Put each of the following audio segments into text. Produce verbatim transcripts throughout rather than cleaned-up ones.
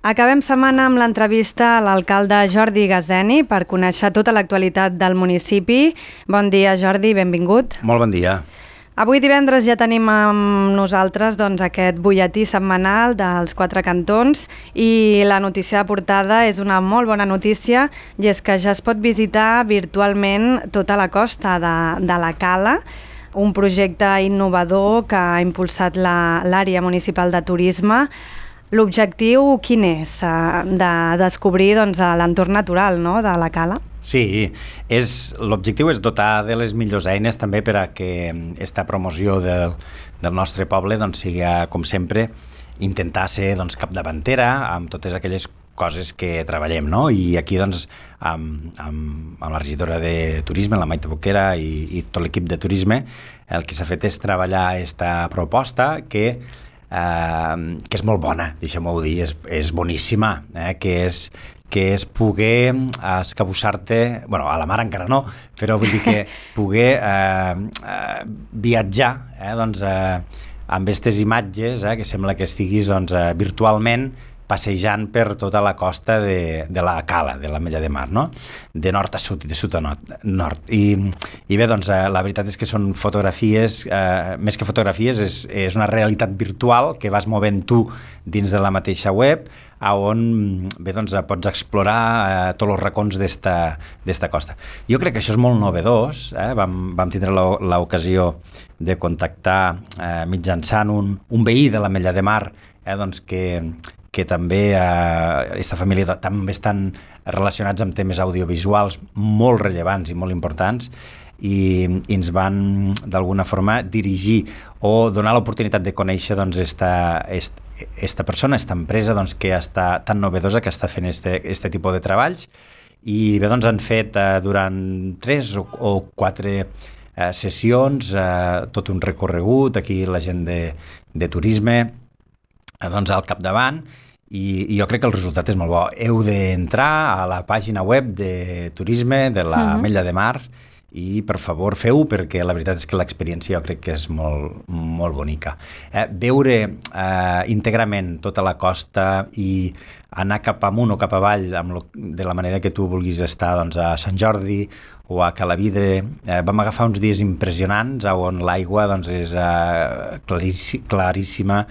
Acabem setmana amb l'entrevista a l'alcalde Jordi Gazeni per conèixer tota l'actualitat del municipi. Bon dia, Jordi, benvingut. Molt bon dia. Avui divendres ja tenim amb nosaltres doncs, aquest butlletí setmanal dels quatre cantons i la notícia de portada és una molt bona notícia i és que ja es pot visitar virtualment tota la costa de, de la Cala, un projecte innovador que ha impulsat la, l'àrea municipal de turisme. L'objectiu quin és? De descobrir doncs, l'entorn natural, no?, de la Cala? Sí, és, l'objectiu és dotar de les millors eines també per a que aquesta promoció del, del nostre poble doncs, sigui, com sempre, intentar ser doncs, capdavantera amb totes aquelles coses que treballem, no? I aquí, doncs, amb, amb, amb la regidora de turisme, la Maite Boquera i, i tot l'equip de turisme, el que s'ha fet és treballar aquesta proposta que Uh, que és molt bona, deixem-ho dir, és, és boníssima, eh? que, és, que és poder escabussar-te, bueno, a la mar encara no, però vull dir que poder uh, uh, viatjar eh? doncs, uh, amb aquestes imatges, eh? que sembla que estiguis doncs, uh, virtualment passejant per tota la costa de, de la Cala, de l'Ametlla de Mar, no? De nord a sud i de sud a nord. nord. I, I bé, doncs, eh, la veritat és que són fotografies, eh, més que fotografies, és, és una realitat virtual que vas movent tu dins de la mateixa web, on bé, doncs, pots explorar eh, tots els racons d'esta costa. Jo crec que això és molt novedós, eh? vam, vam tindre l'ocasió de contactar eh, mitjançant un, un veí de l'Ametlla de Mar, eh, doncs que que també aquesta eh, família també estan relacionats amb temes audiovisuals molt rellevants i molt importants i, i ens van d'alguna forma dirigir o donar l'oportunitat de conèixer doncs, esta, esta, esta persona, esta empresa doncs, que està tan novedosa, que està fent este, este tipus de treballs i bé, doncs han fet eh, durant tres o, o quatre eh, sessions eh, tot un recorregut, aquí la gent de, de turisme doncs al capdavant i, i jo crec que el resultat és molt bo. Heu d'entrar a la pàgina web de turisme de l'Ametlla de Mar i per favor feu-ho perquè la veritat és que l'experiència jo crec que és molt, molt bonica. Eh, veure eh, íntegrament tota la costa i anar cap amunt o cap avall amb lo, de la manera que tu vulguis estar doncs, a Sant Jordi o a Calavidre. Eh, vam agafar uns dies impressionants on l'aigua doncs, és eh, claríssi, claríssima,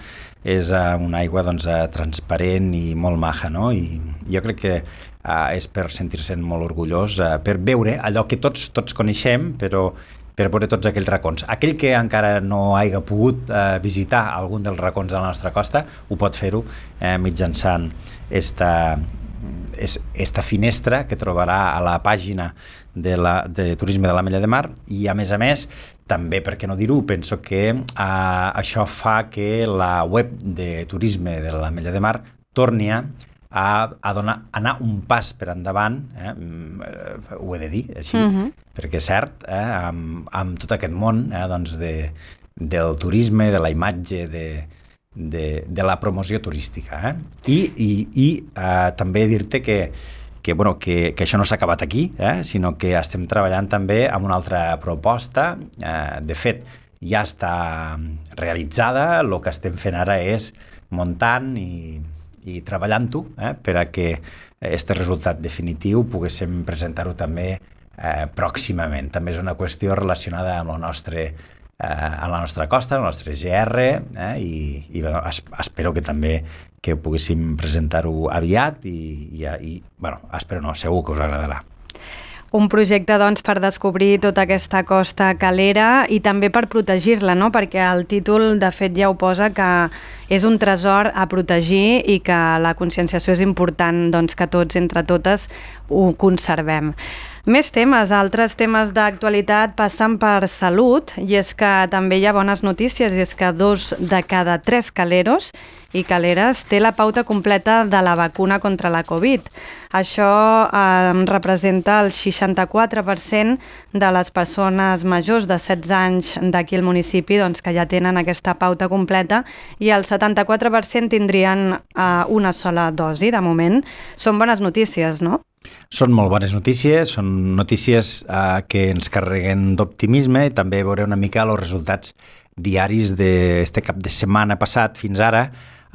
és uh, una aigua doncs, uh, transparent i molt maja, no? I jo crec que uh, és per sentir-se'n molt orgullós, uh, per veure allò que tots tots coneixem, però per veure tots aquells racons. Aquell que encara no hagi pogut uh, visitar algun dels racons de la nostra costa, ho pot fer-ho eh, mitjançant esta, esta finestra que trobarà a la pàgina de, la, de turisme de l'Ametlla de Mar i, a més a més, també, per què no dir-ho, penso que uh, això fa que la web de turisme de l'Ametlla de Mar torni a, a donar, anar un pas per endavant, eh, ho he de dir així, uh-huh. perquè és cert, eh, amb, amb tot aquest món eh, doncs de, del turisme, de la imatge, de, de, de la promoció turística. Eh? I, i, i uh, també dir-te que que, bueno, que, que això no s'ha acabat aquí, eh? sinó que estem treballant també amb una altra proposta. Eh, de fet, ja està realitzada, el que estem fent ara és muntant i, i treballant-ho eh? per a que aquest resultat definitiu poguéssim presentar-ho també eh, pròximament. També és una qüestió relacionada amb el nostre eh, a la nostra costa, el nostre G R, eh? i, i bueno, es, espero que també que poguéssim presentar-ho aviat i, i, i bueno, espero no, segur que us agradarà. Un projecte, doncs, per descobrir tota aquesta costa calera i també per protegir-la, no? Perquè el títol, de fet, ja ho posa que és un tresor a protegir i que la conscienciació és important, doncs, que tots, entre totes, ho conservem. Més temes, altres temes d'actualitat passen per salut i és que també hi ha bones notícies i és que dos de cada tres caleros i caleres té la pauta completa de la vacuna contra la Covid. Això eh, representa el seixanta-quatre per cent de les persones majors de setze anys d'aquí al municipi doncs, que ja tenen aquesta pauta completa i el setanta-quatre per cent tindrien eh, una sola dosi de moment. Són bones notícies, no? Són molt bones notícies, són notícies eh, que ens carreguen d'optimisme i també veure una mica els resultats diaris d'aquest cap de setmana passat fins ara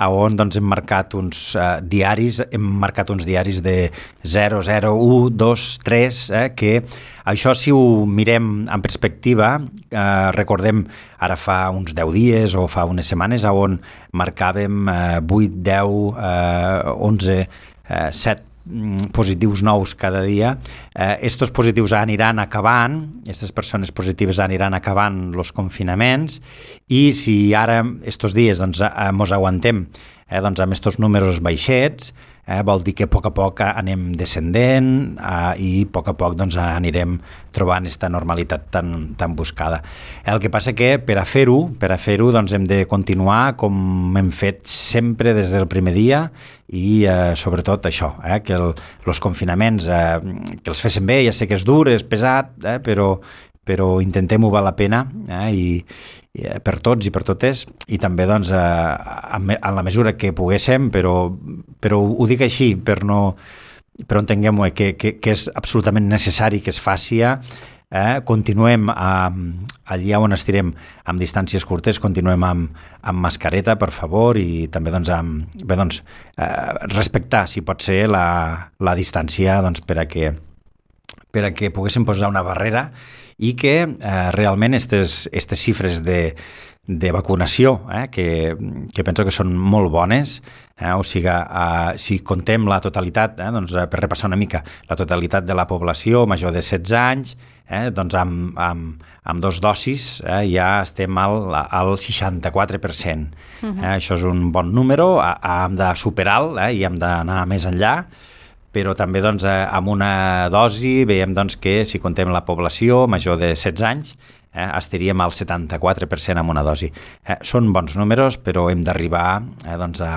on doncs, hem marcat uns uh, diaris, hem marcat uns diaris de zero, zero, u, dos, tres, eh, que això, si ho mirem en perspectiva, eh, recordem ara fa uns deu dies o fa unes setmanes on marcàvem eh, vuit, deu, eh, onze, eh, set positius nous cada dia. Eh, estos positius aniran acabant, aquestes persones positives aniran acabant els confinaments, i si ara, estos dies, doncs, eh, mos aguantem eh, doncs, amb estos números baixets, eh, vol dir que a poc a poc anem descendent eh, i a poc a poc doncs, anirem trobant aquesta normalitat tan, tan buscada. El que passa que per a fer-ho, per a fer-ho doncs, hem de continuar com hem fet sempre des del primer dia, i eh, sobretot això, eh, que el, els confinaments eh, que els fessin bé, ja sé que és dur, és pesat, eh, però, però intentem-ho val la pena, eh, i, i eh, per tots i per totes, i també doncs, eh, en, en la mesura que poguéssim, però, però ho dic així, per no, però entenguem-ho, eh, que, que, que és absolutament necessari que es faci. Eh, continuem a, allà on estirem amb distàncies curtes, continuem amb, amb mascareta, per favor, i també doncs, amb, bé, doncs, eh, respectar, si pot ser, la, la distància doncs, per a que, per a que poguéssim posar una barrera i que eh, realment aquestes xifres de, de vacunació, eh, que, que penso que són molt bones, eh, o sigui, eh, si contem la totalitat, eh, doncs, per repassar una mica, la totalitat de la població major de setze anys, Eh, doncs amb, amb, amb dos dosis eh, ja estem al, al seixanta-quatre per cent. Uh-huh. eh, això és un bon número, a, a, hem de superar-lo eh, i hem d'anar més enllà, però també doncs, eh, amb una dosi veiem doncs, que si contem la població major de setze anys eh, estaríem al setanta-quatre per cent amb una dosi. Eh, són bons números, però hem d'arribar eh, doncs, a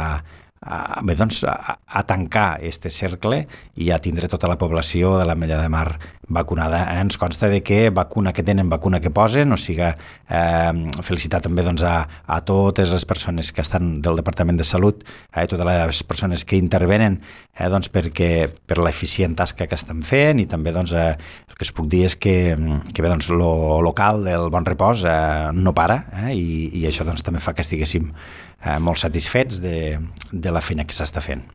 A, bé, doncs, a, a tancar aquest cercle i a tindre tota la població de l'Ametlla de Mar vacunada. Eh? Ens consta de que vacuna que tenen, vacuna que posen, o sigui, eh, felicitar també doncs, a, a totes les persones que estan del Departament de Salut, eh, totes les persones que intervenen eh, doncs, perquè, per l'eficient tasca que estan fent, i també doncs, eh, el que es puc dir és que, que bé, doncs, lo local del Bon Repòs eh, no para, eh, i, i això doncs, també fa que estiguéssim eh, molt satisfets de, de la feina que s'està fent.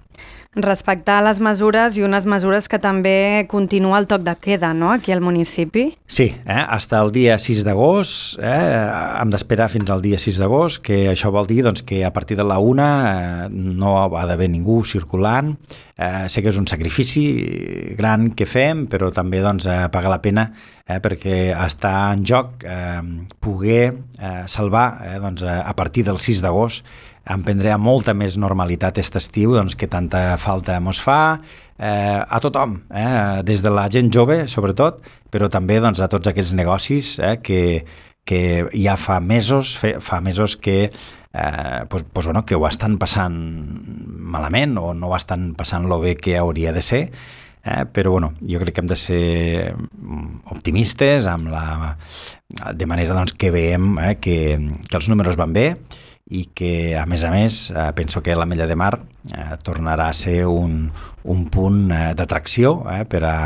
Respectar les mesures i unes mesures que també continua el toc de queda, no?, aquí al municipi. Sí, eh? Hasta el dia sis d'agost, eh? hem d'esperar fins al dia sis d'agost, que això vol dir doncs, que a partir de la una eh, no ha d'haver ningú circulant. Eh, sé que és un sacrifici gran que fem, però també doncs, eh, paga la pena eh, perquè està en joc eh, poder eh, salvar eh, doncs, a partir del sis d'agost emprendrà molta més normalitat aquest estiu, doncs, que tanta falta mos fa eh, a tothom, eh, des de la gent jove sobretot, però també doncs, a tots aquells negocis eh, que, que ja fa mesos, fe, fa mesos que, eh, pues, pues, bueno, que ho estan passant malament o no ho estan passant lo bé que hauria de ser. Eh, però bueno, jo crec que hem de ser optimistes amb la, de manera doncs, que veiem eh, que, que els números van bé, i que, a més a més, eh, penso que l'Ametlla de Mar eh, tornarà a ser un, un punt eh, d'atracció eh, per, a,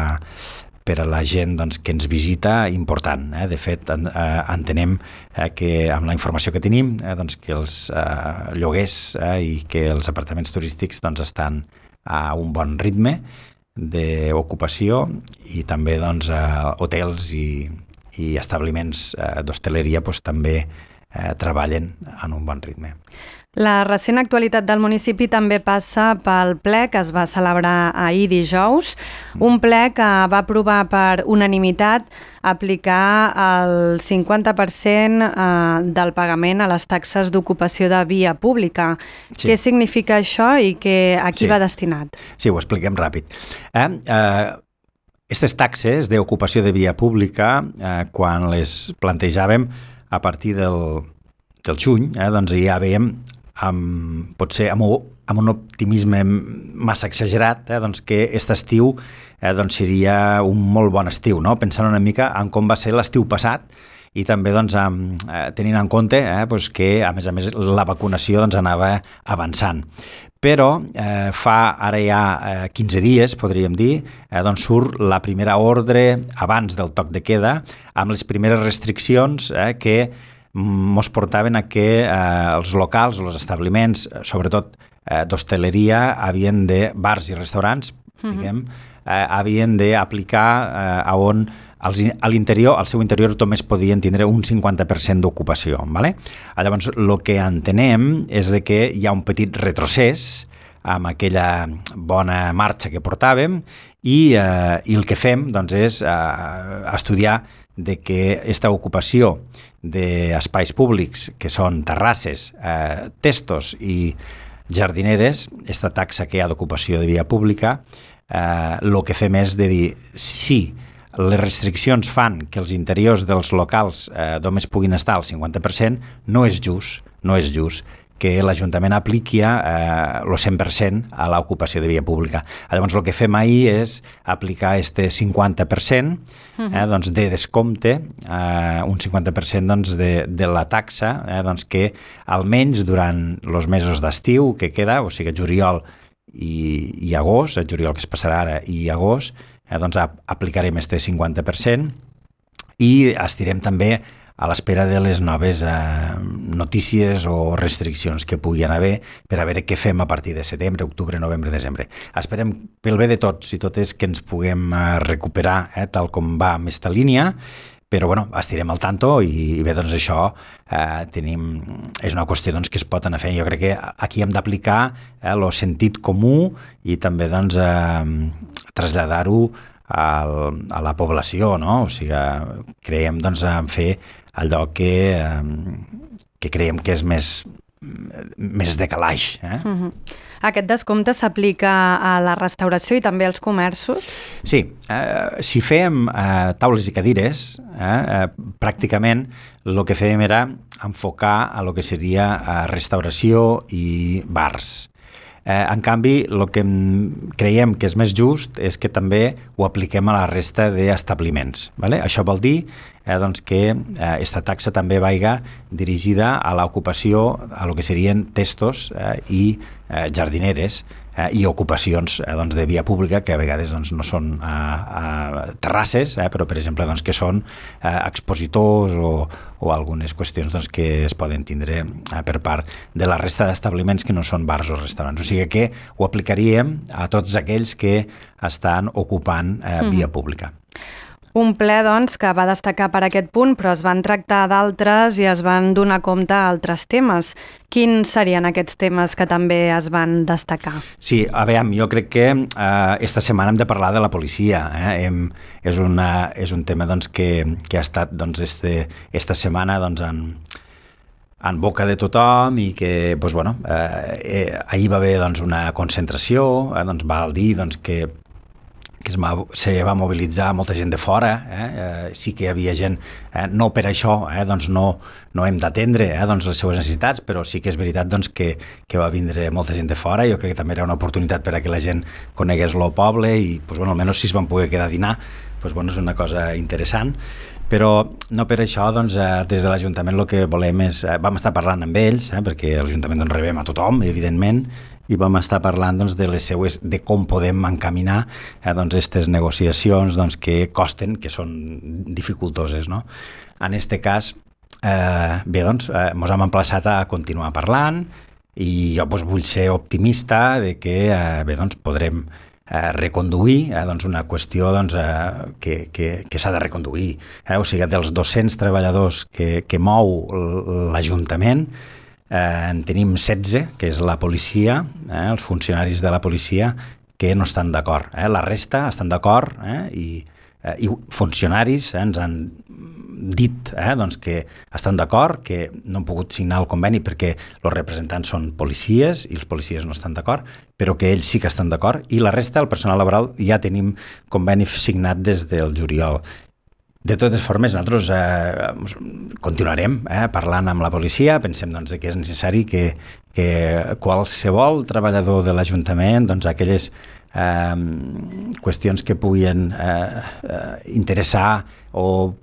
per a la gent doncs, que ens visita important. Eh. De fet, en, eh, entenem eh, que amb la informació que tenim, eh, doncs, que els eh, lloguers eh, i que els apartaments turístics doncs, estan a un bon ritme d'ocupació, i també doncs, eh, hotels i, i establiments eh, d'hostaleria doncs, també Eh, treballen en un bon ritme. La recent actualitat del municipi també passa pel ple que es va celebrar ahir dijous, un ple que va aprovar per unanimitat aplicar el cinquanta per cent del pagament a les taxes d'ocupació de via pública. Sí. Què significa això i que, a qui sí. va destinat? Sí, ho expliquem ràpid. Eh, eh, Aquestes taxes d'ocupació de via pública, eh, quan les plantejàvem a partir del, del juny, eh, doncs ja veiem, amb, potser amb, amb un optimisme massa exagerat, eh, doncs que aquest estiu eh, doncs seria un molt bon estiu, no? Pensant una mica en com va ser l'estiu passat, i també doncs, amb, eh, tenint en compte eh, doncs que, a més a més, la vacunació doncs, anava avançant. Però eh, fa ara ja eh, quinze dies, podríem dir, eh, doncs surt la primera ordre abans del toc de queda, amb les primeres restriccions eh, que mos portaven a que eh, els locals, els establiments, sobretot eh, d'hostaleria, havien de, bars i restaurants, uh-huh. diguem, eh, havien d'aplicar eh, a on als, a l'interior, al seu interior només podien tindre un cinquanta per cent d'ocupació. ¿Vale? Llavors, el que entenem és de que hi ha un petit retrocés amb aquella bona marxa que portàvem i, eh, i el que fem doncs, és eh, estudiar de que aquesta ocupació d'espais públics, que són terrasses, eh, testos i jardineres, aquesta taxa que hi ha d'ocupació de via pública, eh, el que fem és de dir sí, les restriccions fan que els interiors dels locals eh, només puguin estar al cinquanta per cent, no és just, no és just que l'Ajuntament apliqui eh, el cent per cent a l'ocupació de via pública. Llavors, el que fem ahir és aplicar este cinquanta per cent eh, doncs de descompte, eh, un cinquanta per cent doncs, de, de la taxa, eh, doncs que almenys durant els mesos d'estiu que queda, o sigui, juliol i, i agost, el juliol que es passarà ara i agost, eh, doncs aplicarem este cinquanta per cent i estirem també a l'espera de les noves eh, notícies o restriccions que puguin haver per a veure què fem a partir de setembre, octubre, novembre, desembre. Esperem pel bé de tots i totes que ens puguem eh, recuperar eh, tal com va amb esta línia, però bueno, estirem al tanto i, i bé, doncs això eh, tenim, és una qüestió doncs, que es pot anar fent. Jo crec que aquí hem d'aplicar el eh, sentit comú i també doncs, eh, traslladar-ho al, a la població, no? O sigui, creiem doncs, en fer allò que, eh, que creiem que és més, més de calaix. Eh? Uh-huh. Aquest descompte s'aplica a la restauració i també als comerços? Sí, eh, si fèiem eh, taules i cadires, eh, eh, pràcticament el que fèiem era enfocar a lo que seria eh, restauració i bars. Eh, en canvi, el que creiem que és més just és que també ho apliquem a la resta d'establiments. Vale? Això vol dir eh, doncs que aquesta eh, taxa també vaiga dirigida a l'ocupació, a lo que serien testos eh, i eh, jardineres eh, i ocupacions eh, doncs, de via pública que a vegades doncs, no són eh, eh, terrasses, eh, però per exemple doncs, que són eh, expositors o, o algunes qüestions doncs, que es poden tindre eh, per part de la resta d'establiments que no són bars o restaurants. O sigui que ho aplicaríem a tots aquells que estan ocupant eh, via pública. Un ple, doncs, que va destacar per aquest punt, però es van tractar d'altres i es van donar compte a altres temes. Quins serien aquests temes que també es van destacar? Sí, a veure, jo crec que eh, esta setmana hem de parlar de la policia. Eh? Hem, és, una, és un tema doncs, que, que ha estat doncs, este, esta setmana doncs, en, en boca de tothom i que doncs, bueno, eh, eh, ahir va haver doncs, una concentració, eh, doncs, val dir doncs, que que es va, se va mobilitzar molta gent de fora, eh? Eh, sí que hi havia gent, eh, no per això, eh? doncs no, no hem d'atendre eh? doncs les seves necessitats, però sí que és veritat doncs, que, que va vindre molta gent de fora. Jo crec que també era una oportunitat per a que la gent conegués el poble i doncs, bueno, almenys si es van poder quedar a dinar, doncs, bueno, és una cosa interessant. Però no per això, doncs, eh, des de l'Ajuntament el que volem és, eh, vam estar parlant amb ells, eh, perquè a l'Ajuntament doncs, rebem a tothom, evidentment, i vam estar parlant doncs, de les seues, de com podem encaminar eh, doncs, aquestes negociacions doncs, que costen, que són dificultoses. No? En aquest cas, eh, bé, doncs, eh, ens hem emplaçat a continuar parlant i jo doncs, vull ser optimista de que eh, bé, doncs, podrem eh, reconduir eh, doncs, una qüestió doncs, eh, que, que, que s'ha de reconduir. Eh? O sigui, dels dos-cents treballadors que, que mou l'Ajuntament, Eh, en tenim setze, que és la policia, eh, els funcionaris de la policia, que no estan d'acord. Eh? La resta estan d'acord eh? I, eh, i funcionaris eh, ens han dit eh, doncs que estan d'acord, que no han pogut signar el conveni perquè els representants són policies i els policies no estan d'acord, però que ells sí que estan d'acord, i la resta, el personal laboral, ja tenim conveni signat des del juliol. De totes formes, nosaltres eh, continuarem eh, parlant amb la policia. Pensem doncs, que és necessari que, que qualsevol treballador de l'Ajuntament, doncs, aquelles eh, qüestions que puguin eh, eh, interessar o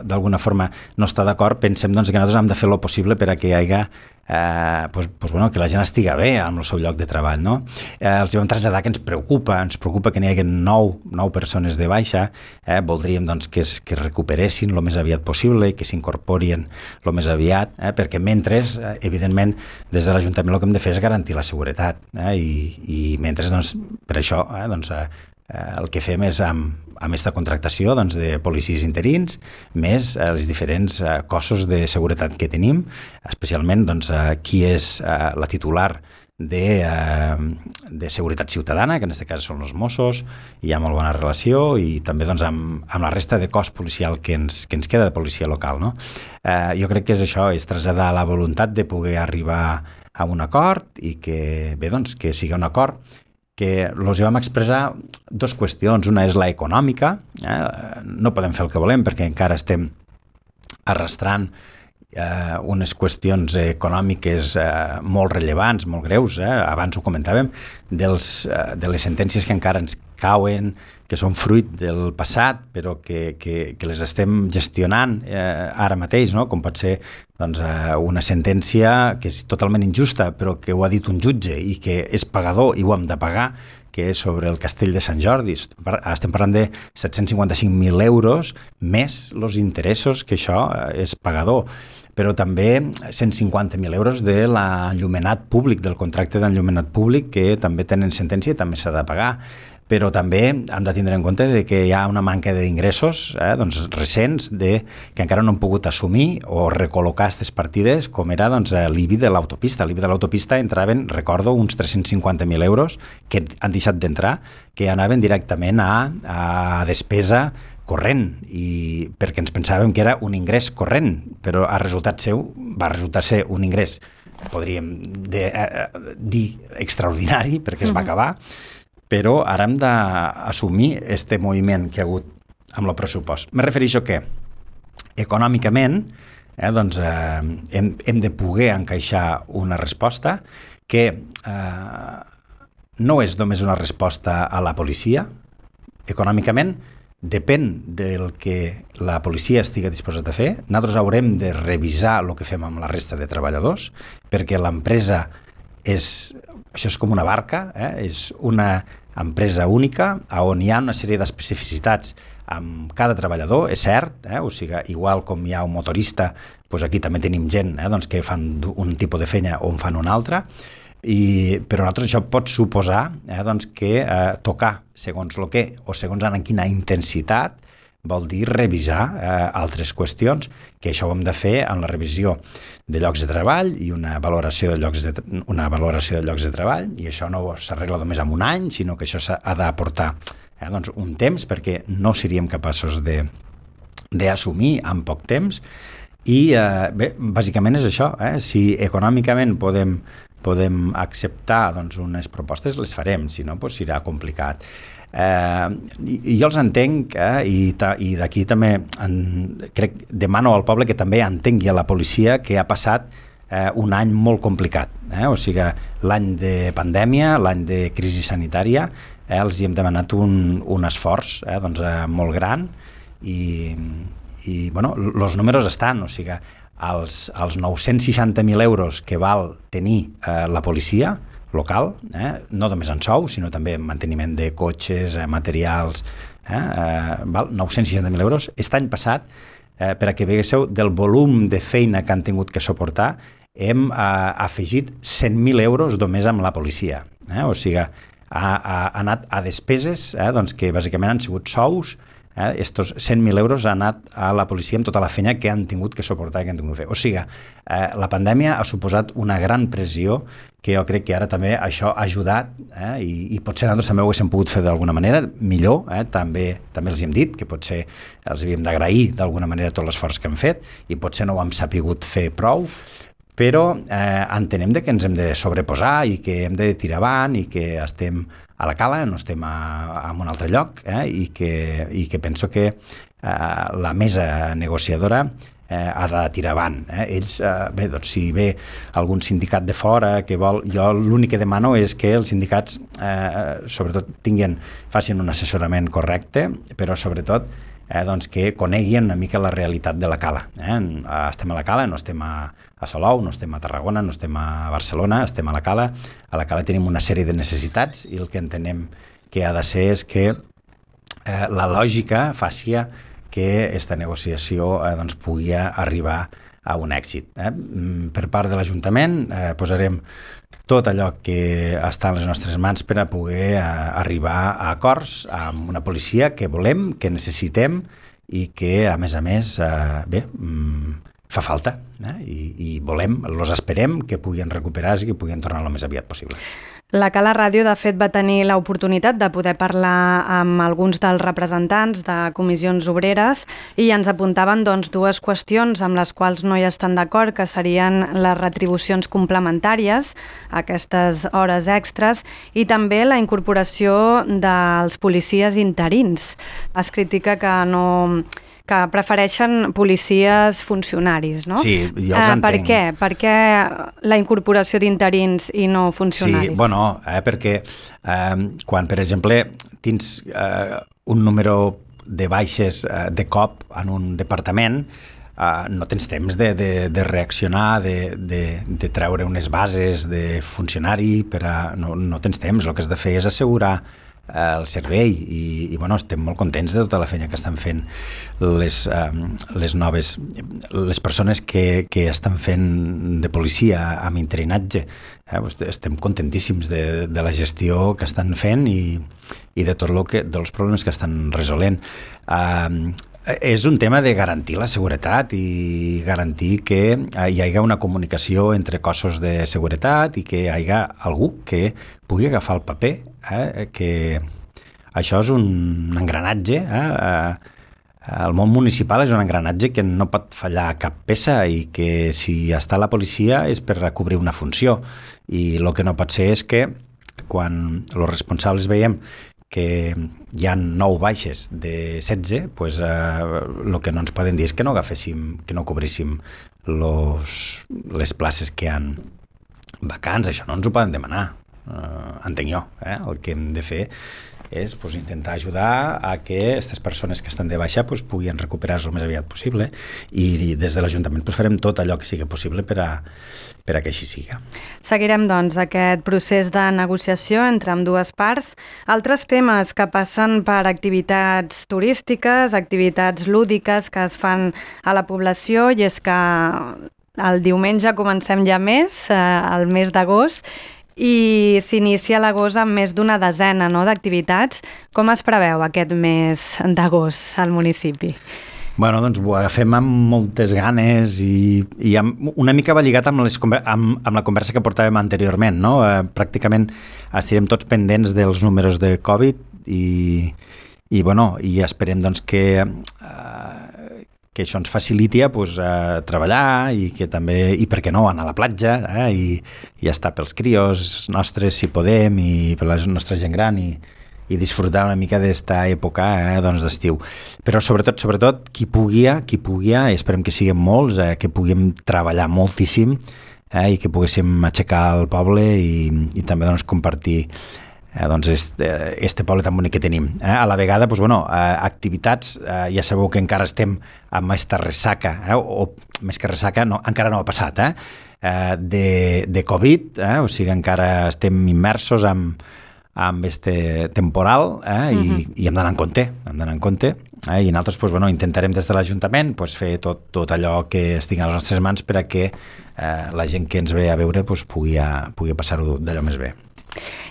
d'alguna forma no estar d'acord, pensem doncs, que nosaltres hem de fer el possible per a que hi hagi eh, pues, pues, bueno, que la gent estiga bé amb el seu lloc de treball, no? Eh, els vam traslladar que ens preocupa, ens preocupa que n'hi hagi nou, nou persones de baixa, eh, voldríem doncs, que es, que es recuperessin el més aviat possible i que s'incorporien el més aviat, eh, perquè mentre, eh, evidentment, des de l'Ajuntament el que hem de fer és garantir la seguretat, eh, i, i mentre, doncs, per això, eh, doncs, eh, el que fem és amb, amb aquesta contractació doncs, de policies interins, més eh, els diferents eh, cossos de seguretat que tenim, especialment doncs, eh, qui és eh, la titular de, eh, de seguretat ciutadana, que en aquest cas són els Mossos, hi ha molt bona relació, i també doncs, amb, amb la resta de cos policial que ens, que ens queda de policia local. No? Eh, jo crec que és això, és traslladar la voluntat de poder arribar a un acord i que, bé, doncs, que sigui un acord que els vam expressar dues qüestions. Una és la econòmica, eh? No podem fer el que volem perquè encara estem arrastrant eh, unes qüestions econòmiques eh, molt rellevants, molt greus, eh? Abans ho comentàvem, dels, eh, de les sentències que encara ens cauen, que són fruit del passat, però que, que, que les estem gestionant eh, ara mateix, no? Com pot ser doncs, eh, una sentència que és totalment injusta, però que ho ha dit un jutge i que és pagador i ho hem de pagar, que és sobre el castell de Sant Jordi. Estem parlant de set-cents cinquanta-cinc mil euros més els interessos, que això és pagador, però també cent cinquanta mil euros de l'enllumenat públic, del contracte d'enllumenat públic, que també tenen sentència i també s'ha de pagar. Però també hem de tindre en compte de que hi ha una manca d'ingressos eh, doncs, recents de, que encara no han pogut assumir o recol·locar aquestes partides, com era doncs, l'I B I de l'autopista. L'I B I de l'autopista entraven, recordo, uns tres-cents cinquanta mil euros que han deixat d'entrar, que anaven directament a, a despesa corrent, i perquè ens pensàvem que era un ingrés corrent, però a resultat seu va resultar ser un ingrés, podríem de, eh, dir, extraordinari, perquè es va acabar, però ara hem d'assumir este moviment que ha hagut amb el pressupost. Me refereixo que econòmicament eh, doncs, eh, hem, hem de poder encaixar una resposta que eh, no és només una resposta a la policia. Econòmicament depèn del que la policia estigui disposat a fer. Nosaltres haurem de revisar el que fem amb la resta de treballadors, perquè l'empresa és, això és com una barca, eh? És una empresa única on hi ha una sèrie d'especificitats amb cada treballador, és cert, eh? O sigui, igual com hi ha un motorista, doncs aquí també tenim gent eh? doncs que fan un tipus de feina o en fan una altra, i, però nosaltres això pot suposar eh? doncs que eh, tocar segons el que o segons en quina intensitat vol dir revisar eh, altres qüestions, que això ho hem de fer en la revisió de llocs de treball i una valoració de llocs de, una valoració de llocs de treball, i això no s'arregla només en un any, sinó que això s'ha d'aportar eh, doncs un temps, perquè no seríem capaços de d'assumir en poc temps. I eh, bé, bàsicament és això, eh? Si econòmicament podem, podem acceptar doncs, unes propostes, les farem, si no doncs serà complicat. Eh, i jo els entenc eh, i, ta, i d'aquí també en, crec, demano al poble que també entengui a la policia que ha passat eh, un any molt complicat, eh? O sigui, l'any de pandèmia, l'any de crisi sanitària, eh, els hi hem demanat un, un esforç eh, doncs, eh, molt gran, i, i bueno, els números estan, o sigui, els, els nou-cents seixanta mil euros que val tenir eh, la policia local, eh? No només en sou, sinó també en manteniment de cotxes, eh, materials, eh? Eh, val? nou-cents seixanta mil euros. Aquest any passat, eh, per a que veiéssiu del volum de feina que han tingut que suportar, hem eh, afegit cent mil euros només amb la policia. Eh? O sigui, ha, ha anat a despeses eh? doncs que bàsicament han sigut sous. Eh, estos cent mil euros han anat a la policia amb tota la feina que han tingut que suportar, que han tingut que fer. O sigui, eh, la pandèmia ha suposat una gran pressió que jo crec que ara també això ha ajudat eh, i, i potser nosaltres també ho haguéssim pogut fer d'alguna manera millor, eh, també, també els hem dit que potser els havíem d'agrair d'alguna manera tot l'esforç que han fet i potser no ho hem sapigut fer prou, però eh, entenem de que ens hem de sobreposar i que hem de tirar avant i que estem a la cala, no estem a, a un altre lloc eh, i, que, i que penso que eh, la mesa negociadora eh, ha de tirar avant. Eh. Ells, eh, bé, doncs si ve algun sindicat de fora que vol, jo l'únic que demano és que els sindicats eh, sobretot tinguin, facin un assessorament correcte, però sobretot eh, doncs que coneguin una mica la realitat de la cala. Eh? Estem a la cala, no estem a, a Salou, no estem a Tarragona, no estem a Barcelona, estem a la cala. A la cala tenim una sèrie de necessitats i el que entenem que ha de ser és que eh, la lògica faci que aquesta negociació eh, doncs, pugui arribar a un èxit. Eh? Per part de l'Ajuntament eh, posarem tot allò que està en les nostres mans per a poder eh, arribar a acords amb una policia que volem, que necessitem i que, a més a més, eh, bé, mm, fa falta. Eh? I, I volem, els esperem que puguin recuperar-se i que puguin tornar el més aviat possible. La Cala Ràdio, de fet, va tenir l'oportunitat de poder parlar amb alguns dels representants de comissions obreres i ens apuntaven doncs, dues qüestions amb les quals no hi estan d'acord, que serien les retribucions complementàries, aquestes hores extres, i també la incorporació dels policies interins. Es critica que no... que prefereixen policies funcionaris, no? Sí, jo els eh, entenc. Per què? Per què la incorporació d'interins i no funcionaris? Sí, bueno, eh, perquè eh, quan, per exemple, tens eh, un número de baixes eh, de cop en un departament, eh, no tens temps de, de, de reaccionar, de, de, de treure unes bases de funcionari, per a, no, no tens temps. El que has de fer és assegurar el servei i, i bueno, estem molt contents de tota la feina que estan fent les, um, les noves les persones que, que estan fent de policia amb interinatge. Eh? Estem contentíssims de, de la gestió que estan fent i, i de tot lo que, dels problemes que estan resolent. Um, és un tema de garantir la seguretat i garantir que hi hagi una comunicació entre cossos de seguretat i que hi hagi algú que pugui agafar el paper, eh? Que això és un engranatge, eh? El món municipal és un engranatge que no pot fallar cap peça i que si està la policia és per cobrir una funció, i el que no pot ser és que quan els responsables veiem que hi ha nou baixes de setze, pues, eh, el que no ens poden dir és que no agaféssim, que no cobríssim los, les places que han vacants. Això no ens ho poden demanar, eh, entenc jo. Eh? El que hem de fer és pues, intentar ajudar a que aquestes persones que estan de baixa pues, puguin recuperar-se el més aviat possible, i, i des de l'Ajuntament pues, farem tot allò que sigui possible per a, per a que així siga. Seguirem doncs aquest procés de negociació entre ambdues parts. Altres temes que passen per activitats turístiques, activitats lúdiques que es fan a la població, i és que el diumenge comencem ja més, eh, el mes d'agost, i s'inicia l'agost amb més d'una desena, no?, d'activitats. Com es preveu aquest mes d'agost al municipi? Bueno, doncs ho agafem amb moltes ganes i, i amb, una mica va lligat amb, les, amb, amb la conversa que portàvem anteriorment, no? Eh, pràcticament estirem tots pendents dels números de Covid i, i, bueno, i esperem doncs, que, eh, que això ens faciliti pues, a treballar i que també, i per què no, anar a la platja, eh, i, i estar pels crios nostres si podem i per la nostra gent gran i, i disfrutar una mica d'esta època eh, doncs d'estiu. Però sobretot, sobretot, qui pugui, qui pugui, i esperem que siguem molts, eh, que puguem treballar moltíssim eh, i que poguéssim aixecar el poble i, i també doncs, compartir eh, doncs este, este poble tan bonic que tenim. Eh? A la vegada, doncs, bueno, eh, activitats, eh, ja sabeu que encara estem amb aquesta ressaca, eh, o, o més que ressaca, no, encara no ha passat, eh, eh, de, de Covid, eh, o sigui, encara estem immersos amb amb este temporal eh, i, uh-huh. i hem d'anar en compte, hem d'anar en compte eh, i nosaltres pues, bueno, intentarem des de l'Ajuntament pues, fer tot, tot allò que estigui a les nostres mans per a que eh, la gent que ens ve a veure pues, pugui, a, pugui passar-ho d'allò més bé.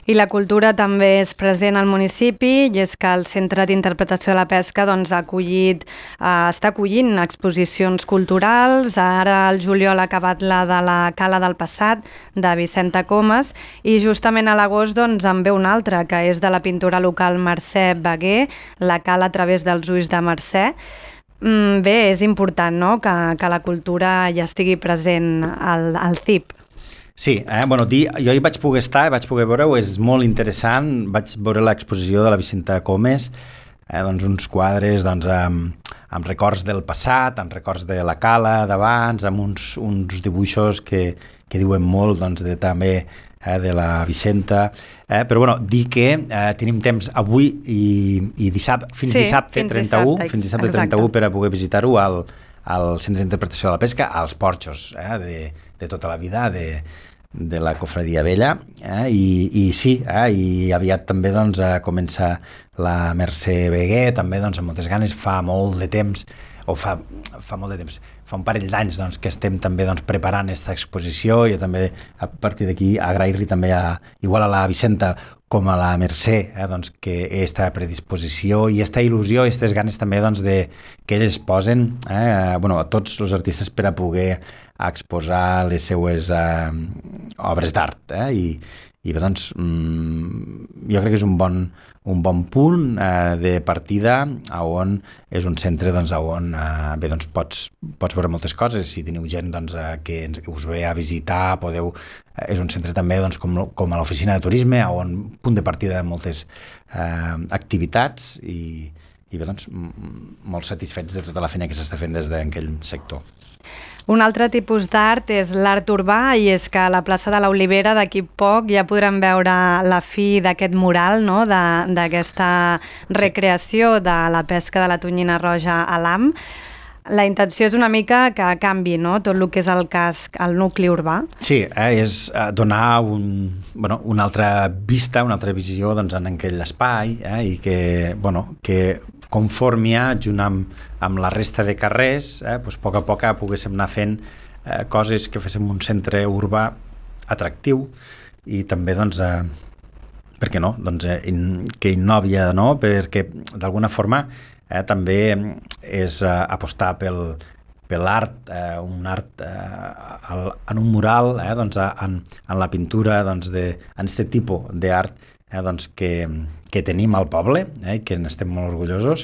I la cultura també és present al municipi, i és que el Centre d'Interpretació de la Pesca doncs, ha acollit, eh, està acollint exposicions culturals. Ara el juliol ha acabat la de la Cala del Passat, de Vicenta Comas, i justament a l'agost doncs, en ve una altra, que és de la pintora local Mercè Baguer, la Cala a través dels ulls de Mercè. Mm, bé, és important, no?, que, que la cultura ja estigui present al, al C I P. Sí, eh? bueno, dir, jo hi vaig poder estar, vaig poder veure-ho, és molt interessant. Vaig veure l'exposició de la Vicenta Comas, eh? doncs uns quadres doncs, amb, amb records del passat, amb records de la cala d'abans, amb uns, uns dibuixos que, que diuen molt doncs, de també eh, de la Vicenta, eh, però bueno, dir que eh, tenim temps avui i, i dissabte, fins sí, dissabte fins trenta-u, dissabte, fins dissabte exacte. trenta-u per a poder visitar-ho al, al Centre d'Interpretació de la Pesca, als porxos eh, de, de tota la vida, de, de la Cofradia Vella, eh, i, i sí, eh, i aviat també doncs, comença la Mercè Beguer, també doncs, amb moltes ganes, fa molt de temps, o fa, fa molt de temps, fa un parell d'anys doncs, que estem també doncs, preparant aquesta exposició, i també a partir d'aquí agrair-li també a, igual a la Vicenta com a la Mercè, eh, doncs, que aquesta predisposició i aquesta il·lusió i aquestes ganes també doncs, de, que elles posen eh, bueno, a tots els artistes per a poder exposar les seues eh, obres d'art. Eh, i, i bé, doncs, mm, jo crec que és un bon, un bon punt eh, de partida on és un centre doncs, on eh, bé, doncs, pots, pots veure moltes coses. Si teniu gent doncs, eh, que us ve a visitar, podeu, eh, és un centre també doncs, com, com a l'oficina de turisme, on punt de partida de moltes eh, activitats i, i bé, doncs, molt satisfets de tota la feina que s'està fent des d'aquell sector. Un altre tipus d'art és l'art urbà, i és que a la plaça de l'Olivera d'aquí poc ja podrem veure la fi d'aquest mural, no? d'aquesta recreació de la pesca de la tonyina roja a l'A M. La intenció és una mica que canvi, no? Tot el que és el casc, el nucli urbà. Sí, eh, és donar un, bueno, una altra vista, una altra visió doncs, en aquell espai eh, i que, bueno, que conformi junt amb, amb la resta de carrers, eh, doncs, a poc a poc poguéssim anar fent eh, coses que féssim un centre urbà atractiu i també, doncs, eh, per què no? Doncs, eh, in, que innovi, no? Perquè d'alguna forma eh, també és eh, apostar pel, per l'art, eh, un art eh, en un mural, eh, doncs, en, en la pintura, doncs, de, en aquest tipus d'art eh, doncs, que que tenim al poble, eh, que n'estem molt orgullosos,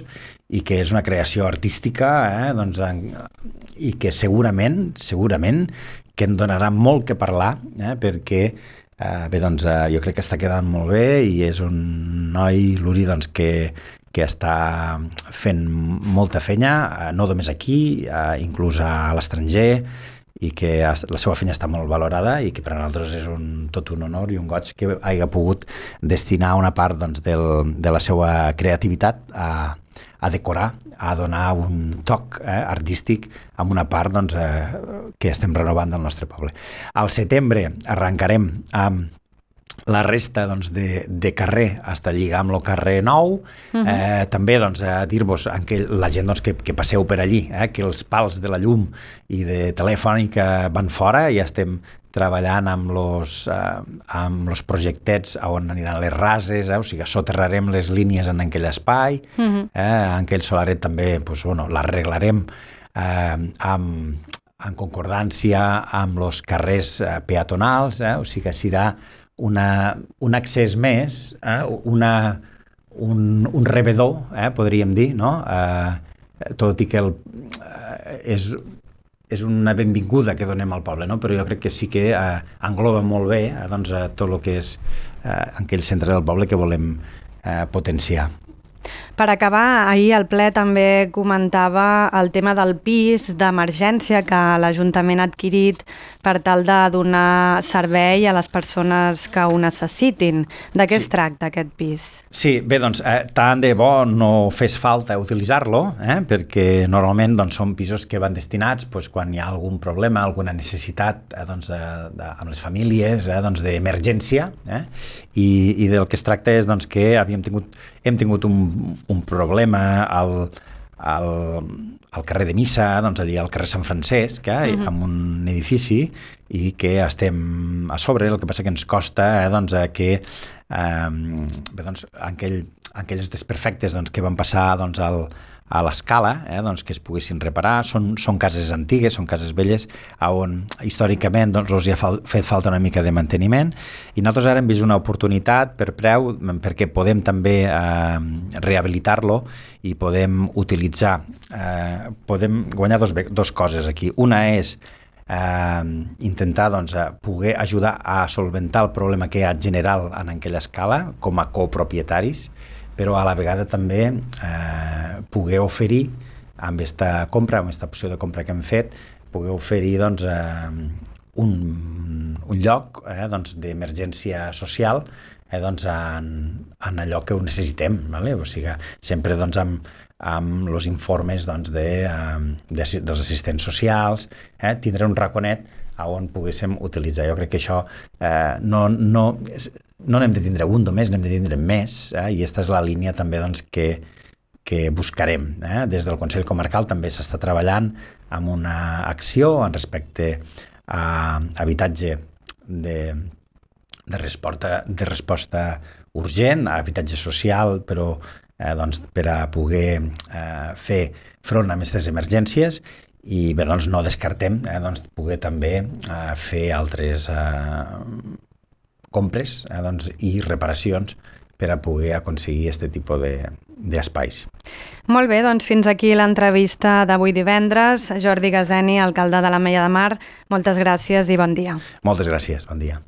i que és una creació artística eh, doncs, en, i que segurament, segurament que en donarà molt que parlar, eh, perquè eh, bé, doncs, eh, jo crec que està quedant molt bé i és un noi, l'Uri, doncs, que, que està fent molta feina, eh, no només aquí, eh, inclús a l'estranger, i que la seva feina està molt valorada i que per a nosaltres és un, tot un honor i un goig que hagi pogut destinar una part doncs, del, de la seva creativitat a, a decorar, a donar un toc eh, artístic amb una part doncs, eh, que estem renovant del nostre poble. Al setembre arrencarem amb la resta doncs, de, de carrer fins a lligar amb el carrer nou. Uh-huh. eh, també doncs, a dir-vos a la gent doncs, que, que passeu per allí, eh, que els pals de la llum i de telefònica van fora, ja estem treballant amb els eh, amb los projectets on aniran les rases, eh, o sigui, soterrarem les línies en aquell espai, uh-huh. eh, en aquell solaret també pues, bueno, l'arreglarem eh, amb, en concordància amb els carrers eh, peatonals, eh, o sigui que serà Una, un accés més, eh? una, un, un rebedor, eh? podríem dir, no? Eh, tot i que el, eh, és, és una benvinguda que donem al poble, no? Però jo crec que sí que eh, engloba molt bé eh, doncs, eh, tot el que és eh, aquell centre del poble que volem eh, potenciar. Per acabar, ahir el ple també comentava el tema del pis d'emergència que l'Ajuntament ha adquirit per tal de donar servei a les persones que ho necessitin. De què sí. es tracta aquest pis? Sí, bé, doncs, eh, tant de bo no fes falta utilitzar-lo, eh, perquè normalment doncs, són pisos que van destinats doncs, quan hi ha algun problema, alguna necessitat eh, doncs, de, de, amb les famílies, eh, doncs, d'emergència, eh, i, i del que es tracta és doncs, que havíem tingut, hem tingut un un problema al, al, al carrer de Missa, doncs allà al carrer Sant Francesc, eh, uh-huh. amb un edifici, i que estem a sobre, el que passa que ens costa eh, doncs, que eh, bé, doncs, aquell, aquells desperfectes doncs, que van passar doncs, al, a l'escala, eh, doncs, que es poguessin reparar. Són, són cases antigues, són cases velles, on històricament doncs, els hi ha fal, fet falta una mica de manteniment, i nosaltres ara hem vist una oportunitat per preu, perquè podem també eh, rehabilitar-lo i podem utilitzar, eh, podem guanyar dos, dos coses aquí. Una és eh, intentar doncs, poder ajudar a solventar el problema que hi ha general en aquella escala com a copropietaris, però a la vegada també eh, poder oferir amb aquesta compra, amb aquesta opció de compra que hem fet, poder oferir doncs, eh, un, un lloc eh, doncs, d'emergència social eh, doncs, en, en allò que ho necessitem, vale? O sigui, sempre doncs, amb, amb els informes doncs, de, de, dels assistents socials, eh, tindre un raconet on poguéssim utilitzar. Jo crec que això eh, no, no, no n'hem de tindre un només, n'hem de tindre més, eh, i aquesta és la línia també doncs, que, que buscarem. Eh? Des del Consell Comarcal també s'està treballant amb una acció en respecte a habitatge de, de, resposta, de resposta urgent, a habitatge social, però eh, doncs, per a poder eh, fer front a aquestes emergències. I bé, doncs no descartem eh, doncs, poder també eh, fer altres eh, compres eh, doncs, i reparacions per a poder aconseguir aquest tipus d'espais. Molt bé, doncs fins aquí l'entrevista d'avui divendres. Jordi Gazeni, alcalde de l'Ametlla de Mar, moltes gràcies i bon dia. Moltes gràcies, bon dia.